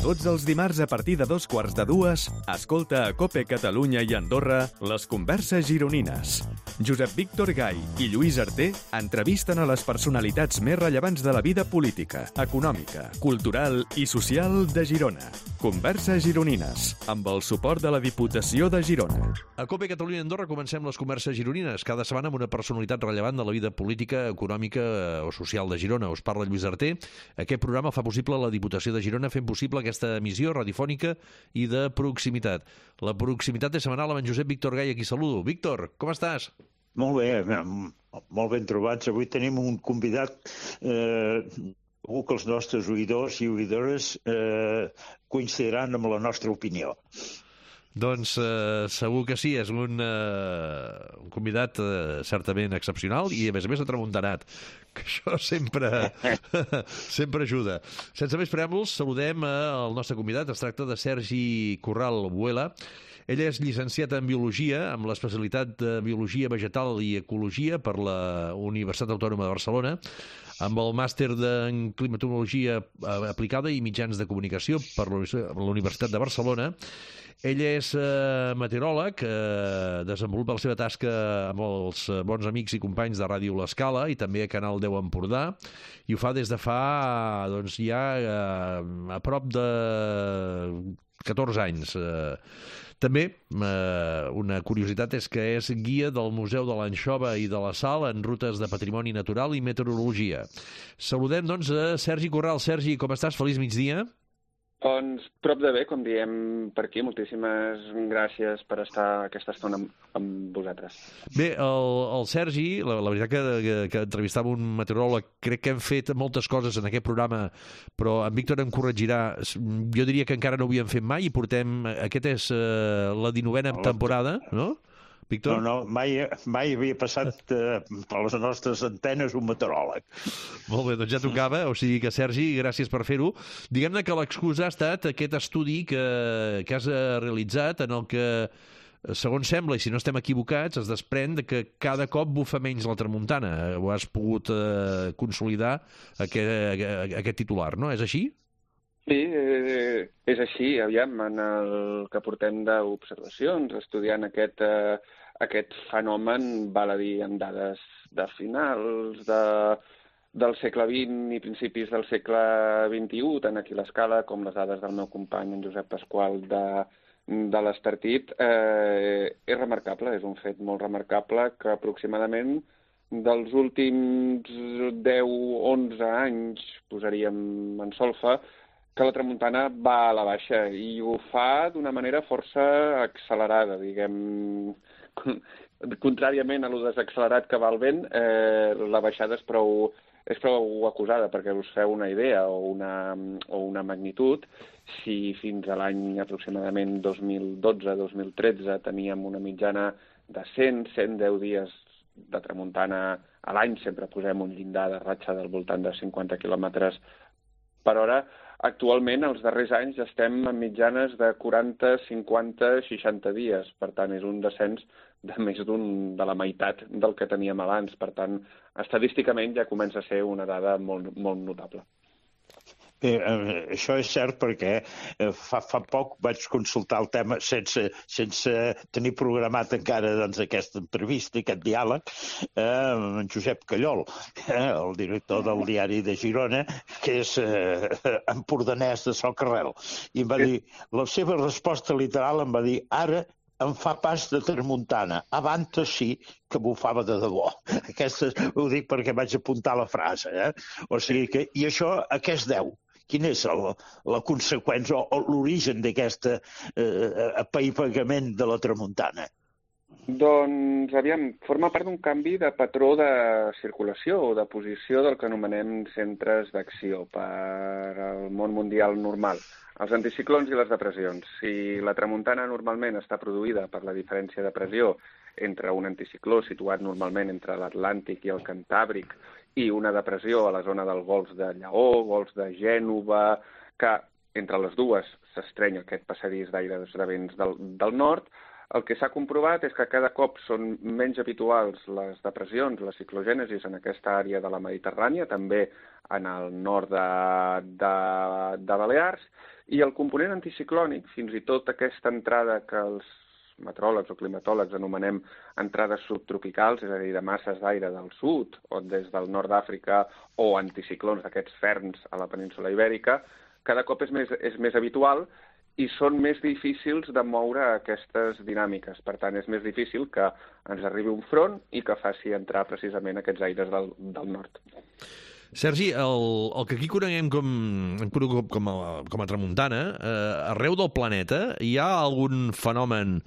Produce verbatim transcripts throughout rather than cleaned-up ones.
Tots els dimarts a partir de dos quarts de dues, escolta a COPE Catalunya i Andorra les converses gironines. Josep Víctor Gai i Lluís Arter entrevisten a les personalitats més rellevants de la vida política, econòmica, cultural i social de Girona. Converses gironines, amb el suport de la Diputació de Girona. A COPE Catalunya i Andorra comencem les converses gironines, cada setmana amb una personalitat rellevant de la vida política, econòmica o social de Girona. Us parla Lluís Arter. Aquest programa fa possible la Diputació de Girona fent possible aquesta emissió radiofònica i de proximitat. La proximitat és setmanal amb en Josep Víctor Gai, a qui saludo. Víctor, com estàs? Molt bé, molt ben trobats. Avui tenim un convidat, eh, segur que els nostres oïdors i oïdores eh, coincidiran amb la nostra opinió. Doncs eh, segur que sí, és un, eh, un convidat eh, certament excepcional i a més a més atramuntanat, que això sempre, sempre ajuda. Sense més preàmbuls, saludem el nostre convidat. Es tracta de Sergi Corral Buela. Ell és llicenciat en Biologia, amb l'especialitat de Biologia Vegetal i Ecologia per la Universitat Autònoma de Barcelona, amb el màster en Climatologia Aplicada i Mitjans de Comunicació per la Universitat de Barcelona. Ell és eh, meteoròleg, eh, desenvolupa la seva tasca amb els bons amics i companys de Ràdio L'Escala i també a Canal deu Empordà, i ho fa des de fa doncs, ja eh, a prop de catorze anys. Eh, També, eh, una curiositat és que és guia del Museu de l'Anxova i de la Sal en rutes de patrimoni natural i meteorologia. Saludem, doncs, a Sergi Corral. Sergi, com estàs? Feliç migdia. Doncs prop de bé, com diem per aquí. Moltíssimes gràcies per estar aquesta estona amb, amb vosaltres. Bé, el, el Sergi, la, la veritat que, que, que entrevistava un meteoròleg, crec que hem fet moltes coses en aquest programa, però en Víctor em corregirà. Jo diria que encara no ho havíem fet mai i portem... Aquest és uh, la dinovena temporada, no? Víctor? No, no, mai, mai havia passat eh, per les nostres antenes un meteoròleg. Molt bé, doncs ja tocava, o sigui que, Sergi, gràcies per fer-ho. Diguem-ne que l'excusa ha estat aquest estudi que, que has realitzat, en el que, segons sembla, i si no estem equivocats, es desprèn de que cada cop bufa menys la tramuntana. Ho has pogut eh, consolidar, aquest, aquest titular, no? És així? Sí, eh, és així. Aviam, en el que portem d'observacions, estudiant aquest, eh, aquest fenomen, val a dir, amb dades de finals de, del segle vint i principis del segle vint-i-u, tant aquí a l'Escala com les dades del meu company, en Josep Pasqual, de, de l'Estartit, eh, és remarcable, és un fet molt remarcable que aproximadament dels últims deu onze anys, posaríem en solfa, que la tramuntana va a la baixa i ho fa d'una manera força accelerada, diguem. Contràriament a lo desaccelerat que va el vent, eh, la baixada és prou, és prou acusada, perquè us feu una idea o una, o una magnitud. Si fins a l'any aproximadament dos mil dotze dos mil tretze teníem una mitjana de cent a cent deu dies de tramuntana a l'any, sempre posem un llindar de ratxa del voltant de cinquanta quilòmetres per hora, actualment, els darrers anys, estem en mitjanes de quaranta, cinquanta, seixanta dies. Per tant, és un descens de més d'un de la meitat del que teníem abans. Per tant, estadísticament ja comença a ser una dada molt, molt notable. Bé, eh, això és cert perquè eh, fa, fa poc vaig consultar el tema sense, sense tenir programat encara doncs, aquesta entrevista, aquest diàleg, eh, amb en Josep Callol, eh, el director del diari de Girona, que és eh, empordanès de Socarrel. I em va dir, la seva resposta literal em va dir, ara em fa pas de tramuntana. Abans sí que bufava de debò. Aquesta ho dic perquè vaig apuntar la frase. Eh? O sigui que, i això a què es deu? Quina és la, la conseqüència o, o l'origen d'aquest eh, apaivagament de la tramuntana? Doncs, aviam, forma part d'un canvi de patró de circulació o de posició del que anomenem centres d'acció per al món mundial normal. Els anticiclons i les depressions. Si la tramuntana normalment està produïda per la diferència de pressió entre un anticicló situat normalment entre l'Atlàntic i el Cantàbric i una depressió a la zona del Golf de Lleó, Golf de Gènova, que entre les dues s'estreny aquest passadís d'aires de vents del, del nord, el que s'ha comprovat és que cada cop són menys habituals les depressions, les ciclogènesis en aquesta àrea de la Mediterrània, també en el nord de, de, de Balears, i el component anticiclònic, fins i tot aquesta entrada que els meteoròlegs o climatòlegs anomenem entrades subtropicals, és a dir, de masses d'aire del sud o des del nord d'Àfrica o anticiclons d'aquests ferns a la península Ibèrica, cada cop és més, és més habitual i són més difícils de moure aquestes dinàmiques. Per tant, és més difícil que ens arribi un front i que faci entrar precisament aquests aires del, del nord. Sergi, el, el que aquí coneguem com, com, a, com a tramuntana, eh, arreu del planeta hi ha algun fenomen...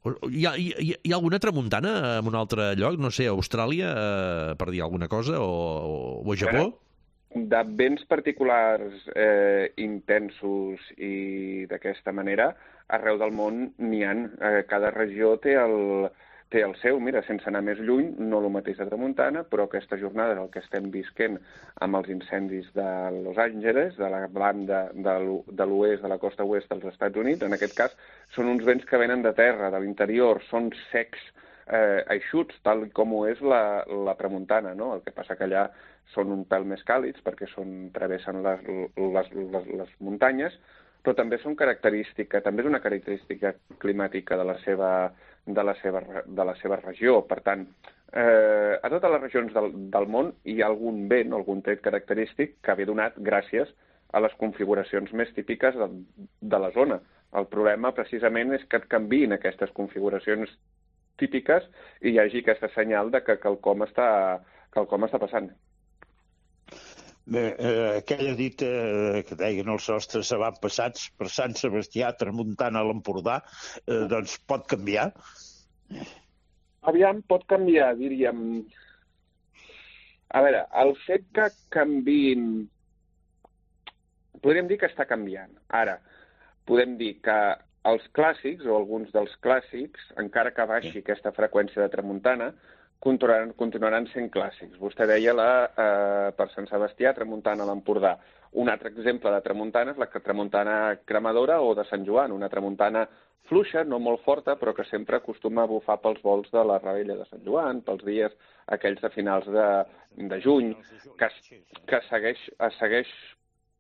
Hi ha, hi, hi ha alguna tramuntana en un altre lloc? No sé, a Austràlia, eh, per dir alguna cosa, o, o a Japó? De vents particulars eh, intensos i d'aquesta manera, arreu del món n'hi ha. Eh, cada regió té el, té el seu. Mira, sense anar més lluny, no el mateix de tramuntana, però aquesta jornada el que estem visquent amb els incendis de Los Angeles, de la banda de l'oest, de la costa oest dels Estats Units, en aquest cas, són uns vents que venen de terra, de l'interior, són secs, eh, eixuts, tal com ho és la, la tramuntana, no? El que passa que allà són un pèl més càlids perquè són, travessen les, les, les, les muntanyes, però també són característica, també és una característica climàtica de la seva, de la seva, de la seva regió. Per tant, eh, a totes les regions del, del món hi ha algun vent, algun tret característic que ve donat gràcies a les configuracions més típiques de, de la zona. El problema, precisament, és que et canviïn aquestes configuracions típiques i hi hagi aquesta senyal de que quelcom està, quelcom està passant. Bé, eh, aquella dita eh, que deien els nostres avantpassats per Sant Sebastià, tramuntana a l'Empordà, eh, doncs pot canviar? Aviam, pot canviar, diríem. A veure, el fet que canviïn... Podríem dir que està canviant. Ara, podem dir que els clàssics, o alguns dels clàssics, encara que baixi aquesta freqüència de tramuntana, continuaran, continuaran sent clàssics. Vostè deia la, eh, per Sant Sebastià, tramuntana a l'Empordà. Un altre exemple de tramuntana és la tramuntana cremadora o de Sant Joan, una tramuntana fluixa, no molt forta, però que sempre acostuma a bufar pels volts de la Rebella de Sant Joan, pels dies aquells de finals de, de juny, que, que segueix, es segueix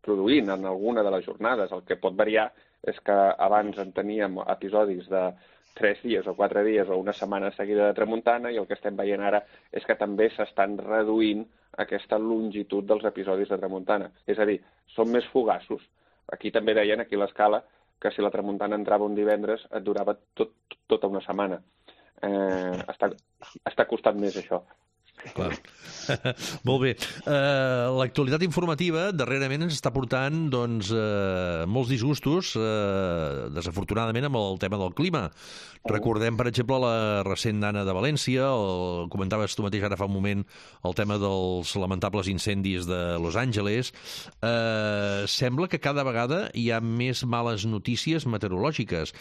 produint en alguna de les jornades. El que pot variar és que abans en teníem episodis de tres dies o quatre dies o una setmana seguida de tramuntana i el que estem veient ara és que també s'estan reduint aquesta longitud dels episodis de tramuntana. És a dir, són més fugaços. Aquí també deien, aquí a l'escala, que si la tramuntana entrava un divendres et durava tot, tota una setmana. Eh, està, està costant més això. Clar. Molt bé. Uh, l'actualitat informativa darrerament ens està portant doncs, uh, molts disgustos, uh, desafortunadament, amb el tema del clima. Recordem, per exemple, la recent Dana de València, o comentaves tu mateix ara fa un moment el tema dels lamentables incendis de Los Angeles. Uh, sembla que cada vegada hi ha més males notícies meteorològiques.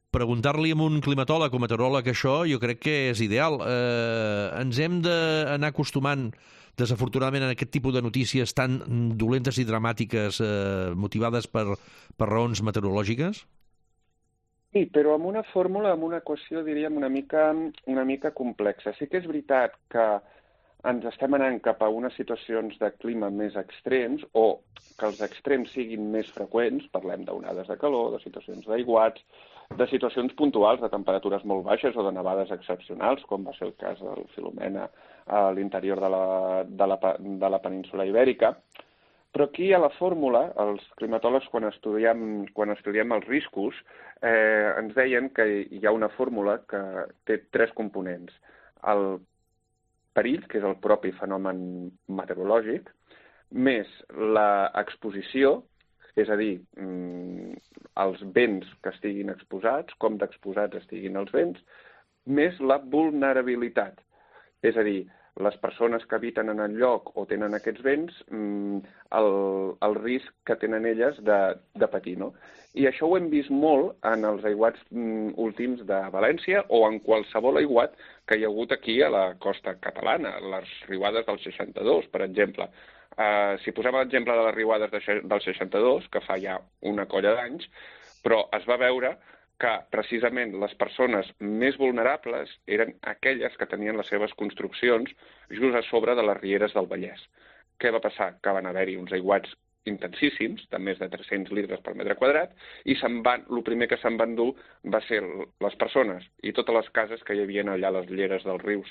Preguntar-li a un climatòleg o meteoròleg això jo crec que és ideal. Eh, ens hem d'anar acostumant, desafortunadament, a aquest tipus de notícies tan dolentes i dramàtiques eh, motivades per, per raons meteorològiques? Sí, però amb una fórmula, amb una equació, diríem, una mica, una mica complexa. Sí que és veritat que ens estem anant cap a unes situacions de clima més extrems o que els extrems siguin més freqüents, parlem d'onades de calor, de situacions d'aiguats, de situacions puntuals de temperatures molt baixes o de nevades excepcionals, com va ser el cas del Filomena a l'interior de, la, de, la, de la península Ibèrica. Però aquí a la fórmula, els climatòlegs, quan estudiem, quan estudiem els riscos, eh, ens deien que hi ha una fórmula que té tres components. El perill, que és el propi fenomen meteorològic, més l'exposició, és a dir, els vents que estiguin exposats, com d'exposats estiguin els vents, més la vulnerabilitat. És a dir, les persones que habiten en el lloc o tenen aquests vents, el, el risc que tenen elles de, de patir, no? I això ho hem vist molt en els aiguats últims de València o en qualsevol aiguat que hi ha hagut aquí a la costa catalana, les riuades del seixanta-dos, per exemple. Uh, si posem l'exemple de les riuades de, del seixanta-dos, que fa ja una colla d'anys, però es va veure que precisament les persones més vulnerables eren aquelles que tenien les seves construccions just a sobre de les rieres del Vallès. Què va passar? Que van haver-hi uns aiguats intensíssims, de més de tres-cents litres per metre quadrat, i se'n van, el primer que se'n van dur va ser les persones i totes les cases que hi havia allà a les lleres dels rius.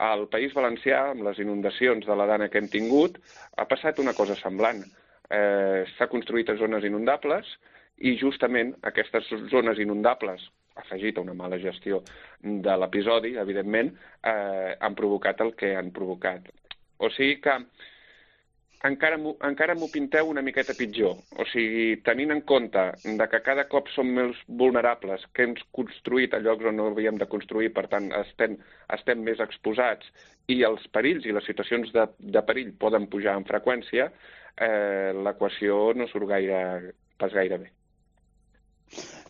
Al País Valencià, amb les inundacions de la dana que hem tingut, ha passat una cosa semblant. Eh, S'ha construït a zones inundables i justament aquestes zones inundables, afegit a una mala gestió de l'episodi, evidentment, eh, han provocat el que han provocat. O sigui que encara m'ho pinteu una miqueta pitjor. O sigui, tenint en compte de que cada cop som més vulnerables, que hem construït a llocs on no havíem de construir, per tant, estem, estem més exposats, i els perills i les situacions de, de perill poden pujar en freqüència, eh, l'equació no surt gaire, pas gaire bé.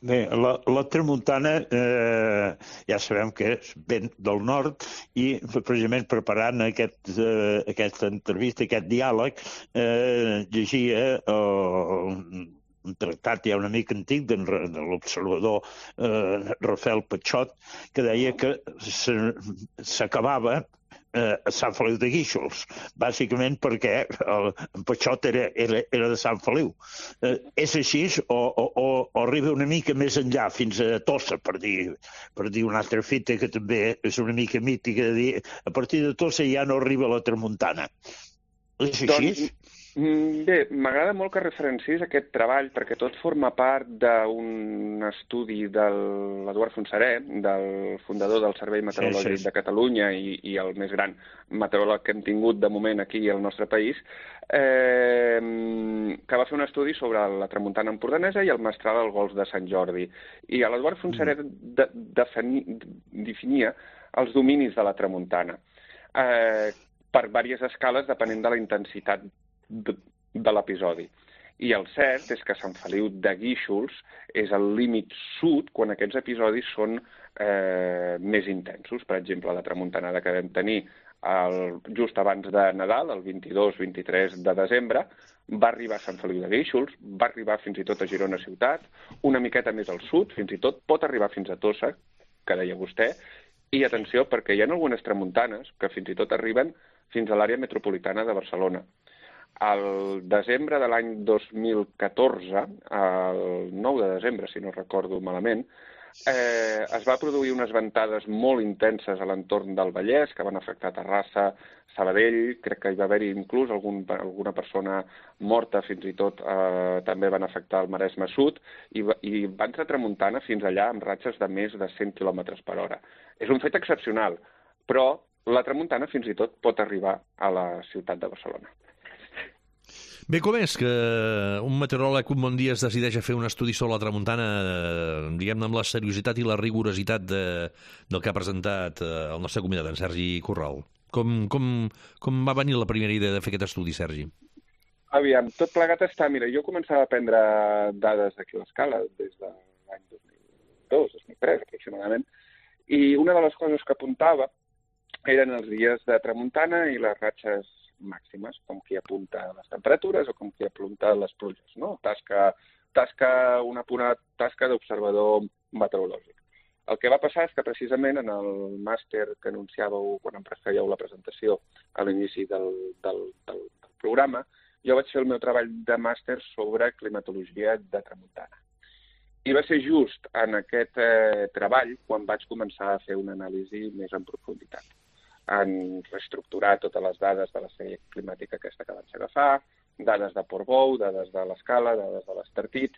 Bé, la, la tramuntana eh, ja sabem que és vent del nord i precisament preparant aquest, eh, aquesta entrevista, aquest diàleg, eh, llegia eh, un tractat ja una mica antic de, de l'observador eh, Rafael Patxot, que deia que s'acabava Eh, a Sant Feliu de Guíxols, bàsicament perquè el, en Patxot era, era, era de Sant Feliu. Eh, és així o, o, o, o arriba una mica més enllà, fins a Tossa, per dir, per dir una altra fita que també és una mica mítica, de dir, a partir de Tossa ja no arriba la tramuntana. És així? Doncs, bé, m'agrada molt que referencis aquest treball, perquè tot forma part d'un estudi de l'Eduard Fontserè, del fundador del Servei Meteorològic sí, sí. de Catalunya i, i el més gran meteoròleg que hem tingut de moment aquí al nostre país, eh, que va fer un estudi sobre la tramuntana empordanesa i el mestral al golf de Sant Jordi. I l'Eduard Fontserè de, defini, definia els dominis de la tramuntana eh, per diverses escales depenent de la intensitat de, de l'episodi. I el cert és que Sant Feliu de Guíxols és el límit sud quan aquests episodis són eh, més intensos. Per exemple, la tramuntanada que vam tenir el, just abans de Nadal, el vint-i-dos vint-i-tres de desembre, va arribar a Sant Feliu de Guíxols, va arribar fins i tot a Girona ciutat, una miqueta més al sud, fins i tot pot arribar fins a Tossa, que deia vostè, i atenció, perquè hi ha algunes tramuntanes que fins i tot arriben fins a l'àrea metropolitana de Barcelona. Al desembre de l'any dos mil catorze, el nou de desembre, si no recordo malament, eh, es va produir unes ventades molt intenses a l'entorn del Vallès que van afectar Terrassa, Sabadell, crec que hi va haver-hi inclús algun, alguna persona morta, fins i tot eh, també van afectar el Maresme Sud, i, i van ser tramuntana fins allà amb ratxes de més de cent quilòmetres per hora. És un fet excepcional, però la tramuntana fins i tot pot arribar a la ciutat de Barcelona. Bé, com és que un meteoròleg un bon dia es decideix a fer un estudi sobre la tramuntana, diguem-ne, amb la seriositat i la rigorositat de, del que ha presentat el nostre convidat, en Sergi Corral? Com, com, com va venir la primera idea de fer aquest estudi, Sergi? Aviam, tot plegat està... Mira, jo començava a prendre dades d'aquí a l'escala des de l'any dos mil dos, dos mil tres, aproximadament, i una de les coses que apuntava eren els dies de tramuntana i les ratxes màximes, com qui apunta les temperatures o com qui apunta les pluges, no? Tasca, tasca una pura tasca d'observador meteorològic. El que va passar és que precisament en el màster que anunciàveu quan em fèieu la presentació a l'inici del, del, del, del programa, jo vaig fer el meu treball de màster sobre climatologia de tramuntana. I va ser just en aquest eh, treball quan vaig començar a fer una anàlisi més en profunditat, en reestructurar totes les dades de la sèrie climàtica aquesta que vaig agafar, dades de Portbou, dades de l'escala, dades de l'Estartit.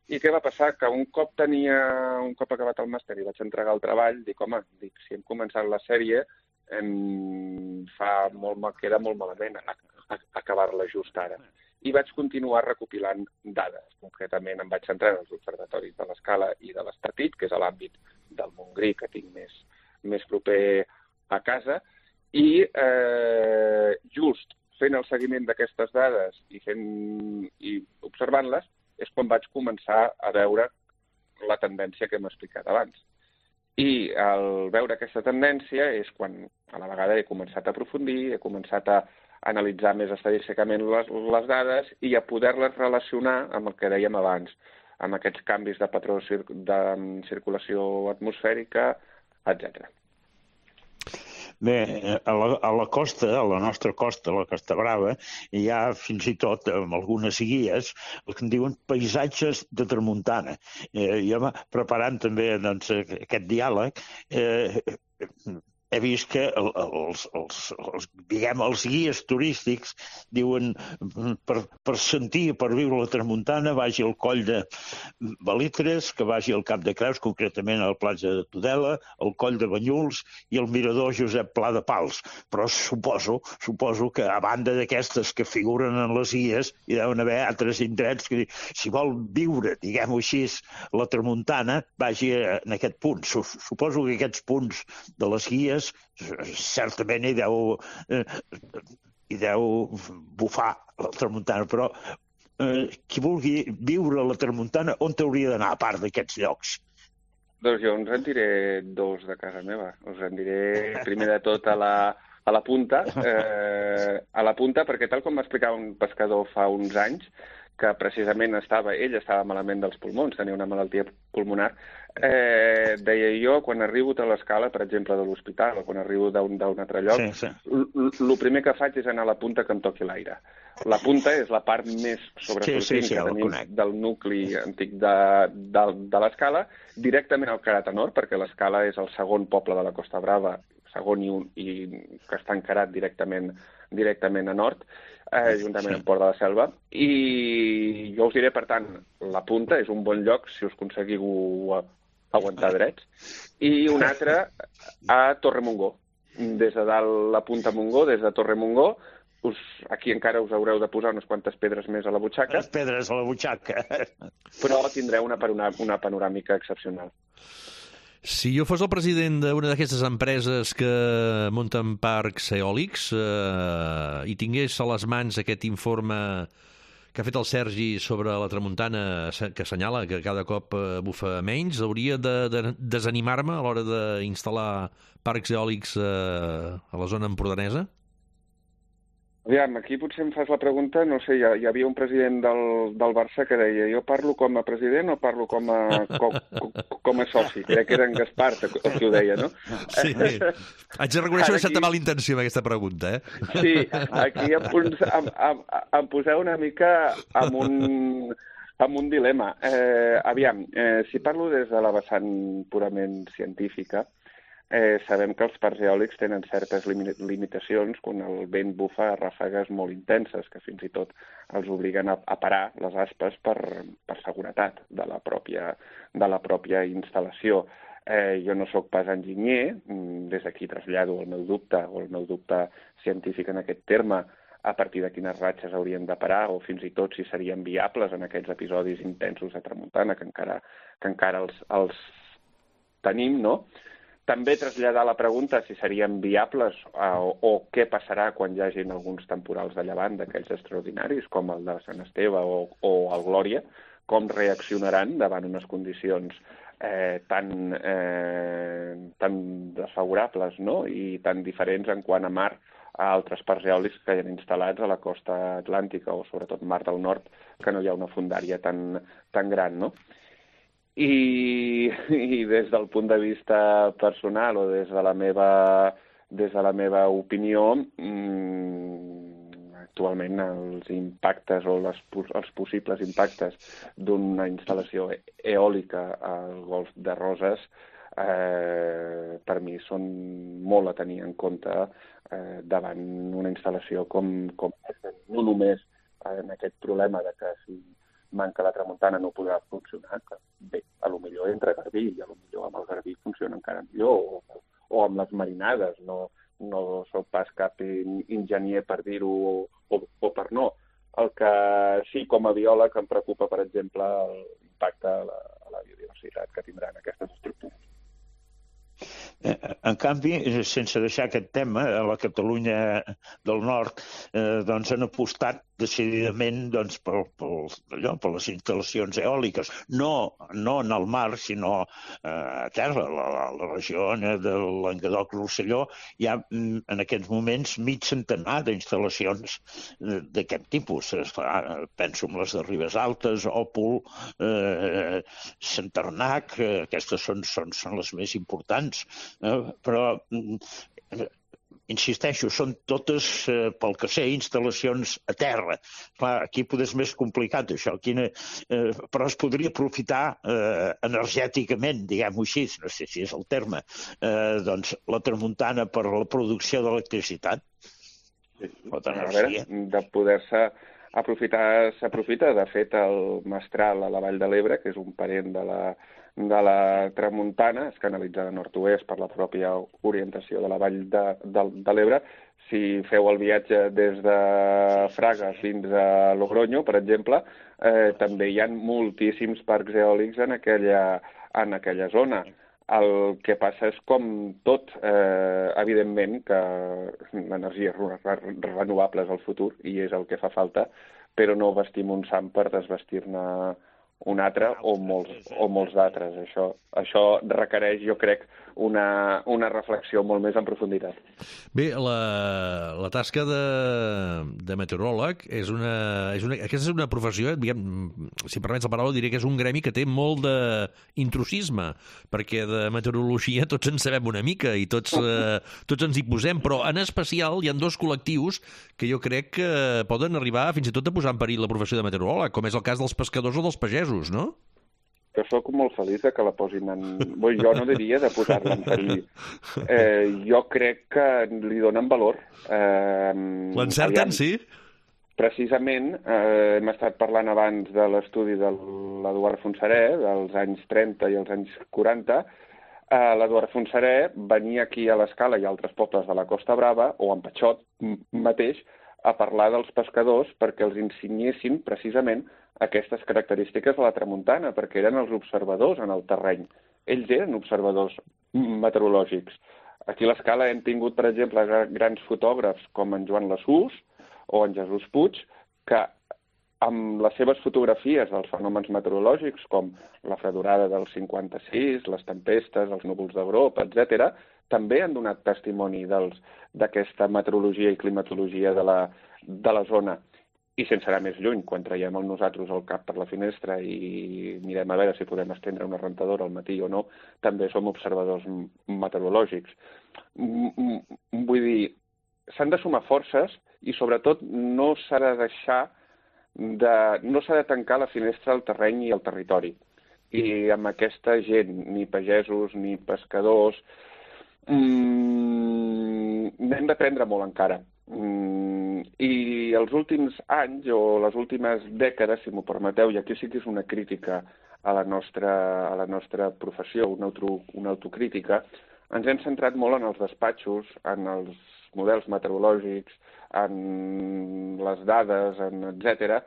I què va passar? Que un cop tenia, un cop acabat el màster i vaig entregar el treball, dic, home, dic, si hem començat la sèrie, em fa molt, queda molt malament acabar-la just ara. I vaig continuar recopilant dades. Concretament em vaig centrar en els observatoris de l'escala i de l'Estartit, que és l'àmbit del Montgrí que tinc més, més proper a casa, i eh, just fent el seguiment d'aquestes dades i, fent, i observant-les és quan vaig començar a veure la tendència que hem explicat abans. I al veure aquesta tendència és quan a la vegada he començat a aprofundir, he començat a analitzar més estadísticament les, les dades i a poder-les relacionar amb el que dèiem abans, amb aquests canvis de patró de circulació atmosfèrica, etcètera. Bé, a la, a la costa, a la nostra costa, a la Costa Brava, hi ha fins i tot, amb algunes guies, el que en diuen paisatges de tramuntana. Eh, jo, preparant també doncs, aquest diàleg, eh, he vist que els, els, els, diguem, els guies turístics diuen per, per sentir, per viure la tramuntana, vagi al coll de Belitres, que vagi al Cap de Creus, concretament a la platja de Tudela, al coll de Banyuls i al mirador Josep Pla de Pals. Però suposo, suposo que a banda d'aquestes que figuren en les guies, hi deuen haver altres indrets que si vol viure, diguem-ho així, la tramuntana, vagi en aquest punt. Suposo que aquests punts de les guies certament hi deu, eh, hi deu bufar la tramuntana, però eh, qui vulgui viure a la tramuntana, on t'hauria d'anar, a part d'aquests llocs? Doncs jo us en diré dos de casa meva. Us en diré primer de tot a la, a la punta, eh, a la punta, perquè tal com m'explicava un pescador fa uns anys, que precisament estava, ell estava malament dels pulmons, tenia una malaltia pulmonar, eh, deia jo, quan arribo a l'escala, per exemple, de l'hospital, o quan arribo d'un altre lloc, sí, sí. el primer que faig és anar a la punta que em toqui l'aire. La punta és la part més sobresortint sí, sí, sí, que tenim del nucli antic de, de, de l'escala, directament al Carat a Nord, perquè l'escala és el segon poble de la Costa Brava, segon i, un, i que està encarat directament, directament a nord, eh, juntament amb Port de la Selva. I jo us diré, per tant, la punta és un bon lloc si us aconseguiu aguantar drets. I un altre a Torremongó. Des de dalt la punta Montgó, des de Torremongó, us, aquí encara us haureu de posar unes quantes pedres més a la butxaca. Les pedres a la butxaca. Però tindreu una, una, una panoràmica excepcional. Si jo fos el president d'una d'aquestes empreses que munten parcs eòlics eh, i tingués a les mans aquest informe que ha fet el Sergi sobre la tramuntana, que assenyala que cada cop bufa menys, hauria de, de desanimar-me a l'hora d'instal·lar parcs eòlics eh, a la zona empordanesa? Aviam, aquí potser em fas la pregunta, no sé, hi, hi havia un president del, del Barça que deia jo parlo com a president o parlo com a, com, com a soci? Crec que era en Gaspar el que ho deia, no? Sí, haig de reconèixer una certa mala intenció amb aquesta pregunta, eh? Sí, aquí em, em, em, em poseu una mica amb un, amb un dilema. Eh, aviam, eh, si parlo des de la vessant purament científica, Eh, sabem que els parcs eòlics tenen certes limitacions quan el vent bufa a ràfegues molt intenses, que fins i tot els obliguen a, a parar les aspes per, per seguretat de la pròpia, de la pròpia instal·lació. Eh, jo no sóc pas enginyer, des d'aquí trasllado el meu dubte o el meu dubte científic en aquest terme, a partir de quines ratxes haurien de parar o fins i tot si serien viables en aquests episodis intensos de tramuntana que encara, que encara els, els tenim, no? També traslladar la pregunta si serien viables o, o què passarà quan hi hagi alguns temporals de llevant d'aquells extraordinaris, com el de Sant Esteve o, o el Glòria, com reaccionaran davant unes condicions eh, tan, eh, tan desfavorables, no? I tan diferents en quant a mar a altres parcs eòlics que hi ha instal·lats a la costa atlàntica o sobretot Mar del Nord, que no hi ha una fondària tan, tan gran, no? I, i des del punt de vista personal o des de la meva, des de la meva opinió, mmm, actualment els impactes o les, els possibles impactes d'una instal·lació eòlica al Golf de Roses eh, per mi són molt a tenir en compte eh, davant una instal·lació com, com no només en aquest problema de que si manca la tramuntana no podrà funcionar, que bé, a lo millor entre Garbí i a lo millor amb el Garbí funciona encara millor, o, o amb les marinades, no, no soc pas cap enginyer per dir-ho o, o, o per no. El que sí, com a biòleg, em preocupa, per exemple, l'impacte a la, a la biodiversitat que tindran aquestes estructures. En canvi, sense deixar aquest tema, a la Catalunya del Nord eh, doncs han apostat decididament doncs, per, per, allò, per les instal·lacions eòliques. No, no en el mar, sinó eh, a terra. La, la, la regió de Languedoc-Rosselló hi ha en aquests moments mig centenar d'instal·lacions d'aquest tipus. Penso en les de Ribes Altes, Òpol, eh, Centernac, eh, aquestes són, són, són les més importants. Eh, però eh, insisteixo, són totes, eh, pel que sé, instal·lacions a terra. Clar, aquí potser és més complicat, això. Quina, eh, però es podria aprofitar eh, energèticament, diguem-ho així, no sé si és el terme, eh, doncs la tramuntana per la producció d'electricitat. Sí, a veure, de poder-se aprofitar, s'aprofita. De fet, el Mestral a la Vall de l'Ebre, que és un parent de la de la tramuntana, és canalitzada nord-oest per la pròpia orientació de la vall de, de, de l'Ebre. Si feu el viatge des de Fraga fins a Logroño, per exemple, eh, també hi ha moltíssims parcs eòlics en aquella, en aquella zona. El que passa és com tot, eh, evidentment, que l'energia renovable és el futur i és el que fa falta, però no vestim un sant per desvestir-ne un altre o molts, o molts d'altres. Això, això requereix, jo crec, una, una reflexió molt més en profunditat. Bé, la, la tasca de, de meteoròleg és una, és una... Aquesta és una professió, diguem, si permets la paraula, diré que és un gremi que té molt d'intrusisme, perquè de meteorologia tots en sabem una mica i tots, eh, tots ens hi posem, però en especial hi ha dos col·lectius que jo crec que poden arribar fins i tot a posar en perill la professió de meteoròleg, com és el cas dels pescadors o dels pagesos, no? Jo sóc molt feliç que la posin en... Bé, jo no diria de posar-la en perill. Eh, jo crec que li donen valor. Eh, L'encerten, sí? Precisament, eh, hem estat parlant abans de l'estudi de l'Eduard Fontserè, dels anys trenta i els anys quaranta. Eh, L'Eduard Fontserè venia aquí a l'Escala i a altres pobles de la Costa Brava, o en Patxot mateix, a parlar dels pescadors perquè els ensenyessin precisament aquestes característiques de la tramuntana, perquè eren els observadors en el terreny. Ells eren observadors meteorològics. Aquí a l'Escala hem tingut, per exemple, grans fotògrafs com en Joan Lassús o en Jesús Puig, que amb les seves fotografies dels fenòmens meteorològics, com la fredorada del cinquanta-sis, les tempestes, els núvols de grop, etcètera, també han donat testimoni d'aquesta meteorologia i climatologia de la, de la zona. I sense anar més lluny, quan traiem el nosaltres el cap per la finestra i mirem a veure si podem estendre una rentadora al matí o no, també som observadors meteorològics. Vull dir, s'han de sumar forces i sobretot no s'ha de deixar de, no s'ha de tancar la finestra al terreny i al territori. I amb aquesta gent, ni pagesos ni pescadors, mmm, n'hem d'aprendre molt encara. Mm, i els últims anys o les últimes dècades, si m'ho permeteu, i aquí sí que és una crítica a la nostra, a la nostra professió, una, auto, una autocrítica, ens hem centrat molt en els despatxos, en els models meteorològics, en les dades, en etcètera,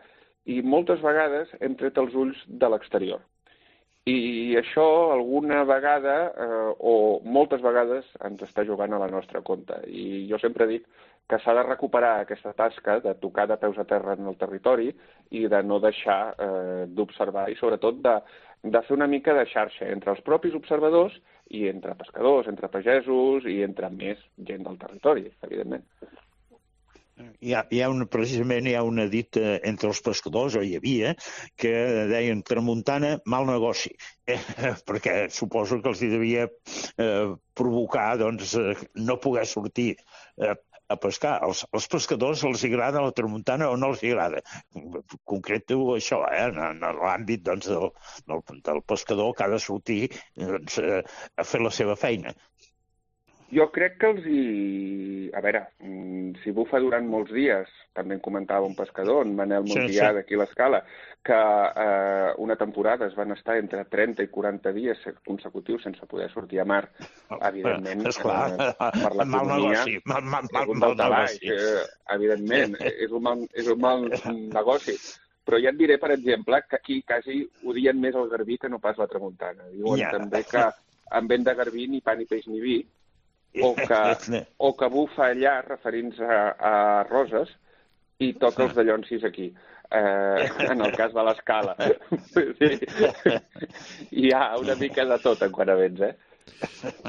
i moltes vegades hem tret els ulls de l'exterior. I això alguna vegada, eh, o moltes vegades, ens està jugant a la nostra compte. I jo sempre dic que s'ha de recuperar aquesta tasca de tocar de peus a terra en el territori i de no deixar eh, d'observar i sobretot de, de fer una mica de xarxa entre els propis observadors i entre pescadors, entre pagesos i entre més gent del territori, evidentment. Hi ha, hi ha una, precisament hi ha una dita entre els pescadors, o hi havia, que deien tramuntana, mal negoci, eh, perquè suposo que els hi devia eh, provocar doncs, eh, no poder sortir eh, a pescar. Els, els pescadors els agrada la tramuntana o no els agrada. Concreto això, eh, en, en l'àmbit doncs, del, del, del pescador que ha de sortir doncs, eh, a fer la seva feina. Jo crec que els hi... A veure, si bufa durant molts dies, també en comentava un pescador, en Manel Montià, sí, sí. d'aquí a l'Escala, que eh, una temporada es van estar entre trenta i quaranta dies consecutius sense poder sortir a mar. Evidentment, eh, per l'economia, és un mal negoci. Eh, evidentment, és un mal, és un mal negoci. Però ja et diré, per exemple, que aquí quasi odien més el garbí que no pas la tramuntana. Diuen yeah. també que en vent de garbí ni pa ni peix ni vi, o que, o que bufa allà, referint-se a, a Roses, i toca els dallonsis aquí. Eh, en el cas de l'escala. Sí. Hi ha una mica de tot en quant a vents, eh?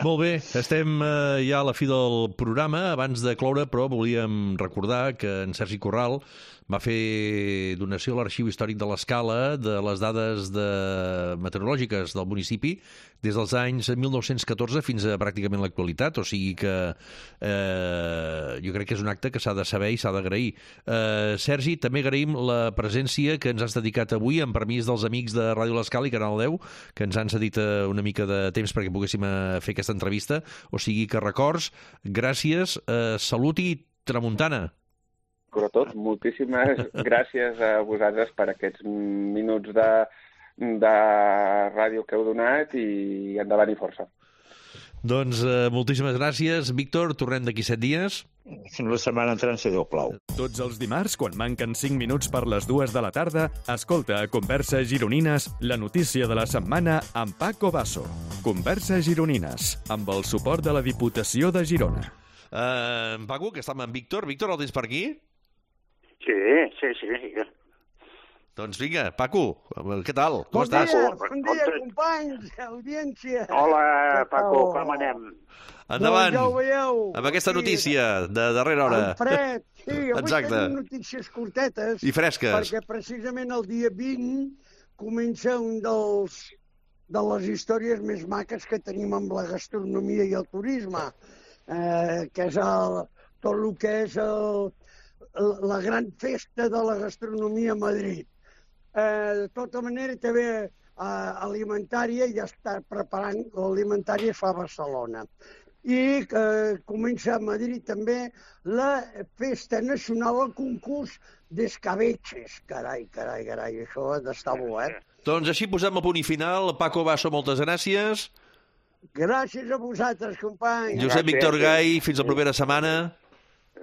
Molt bé, estem eh, ja a la fi del programa. Abans de cloure, però, volíem recordar que en Sergi Corral va fer donació a l'Arxiu Històric de l'Escala de les dades de... meteorològiques del municipi des dels anys mil nou-cents catorze fins a pràcticament l'actualitat, o sigui que eh, jo crec que és un acte que s'ha de saber i s'ha d'agrair. Eh, Sergi, també agraïm la presència que ens has dedicat avui, amb permís dels amics de Ràdio L'Escala i Canal deu, que ens han cedit una mica de temps perquè poguéssim fer aquesta entrevista, o sigui que records, gràcies, eh, salut i tramuntana. Sobretot, moltíssimes gràcies a vosaltres per aquests minuts de, de ràdio que heu donat i endavant i força. Doncs eh, moltíssimes gràcies. Víctor, tornem d'aquí set dies. Fins la setmana entrant, si Déu plau. Tots els dimarts, quan manquen cinc minuts per les dues de la tarda, escolta a Converses Gironines la notícia de la setmana amb Paco Basso. Converses Gironines, amb el suport de la Diputació de Girona. Uh, Paco, que estàvem amb Víctor. Víctor, el tens per aquí? Sí, sí, sí. Doncs vinga, Paco, què tal? Com bon estàs? Dia, bon dia, companys, audiència. Hola, Paco, com anem? Endavant, doncs ja ho veieu. Amb aquesta notícia de darrera hora. En fred, sí, avui Exacte. tenim notícies curtetes. I fresques. Perquè precisament el dia vint comença un dels de les històries més maques que tenim amb la gastronomia i el turisme, eh, que és el, tot el que és el, la gran festa de la gastronomia a Madrid. Eh, de tota manera, també eh, alimentària ja està preparant, l'alimentària es fa a Barcelona. I eh, comença a Madrid també la festa nacional, el concurs d'escabeches. Carai, carai, carai, això ha d'estar bo, eh? Doncs així posem el punt i final. Paco Basso, moltes gràcies. Gràcies a vosaltres, companys. Josep Gràcies. Víctor Gai, fins la propera setmana.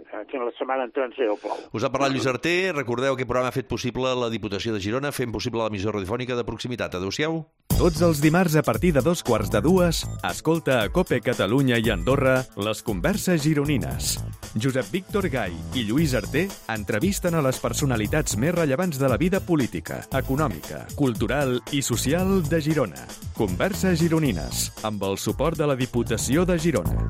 Fins la setmana entrant, si Déu plau. Us ha parlat Lluís Arter. Recordeu que aquest programa ha fet possible la Diputació de Girona, fent possible l'emissió radiofònica de proximitat. Adéu-siau. Tots els dimarts a partir de dos quarts de dues, escolta a COPE Catalunya i Andorra les Converses Gironines. Josep Víctor Gai i Lluís Arter entrevisten a les personalitats més rellevants de la vida política, econòmica, cultural i social de Girona. Converses Gironines, amb el suport de la Diputació de Girona.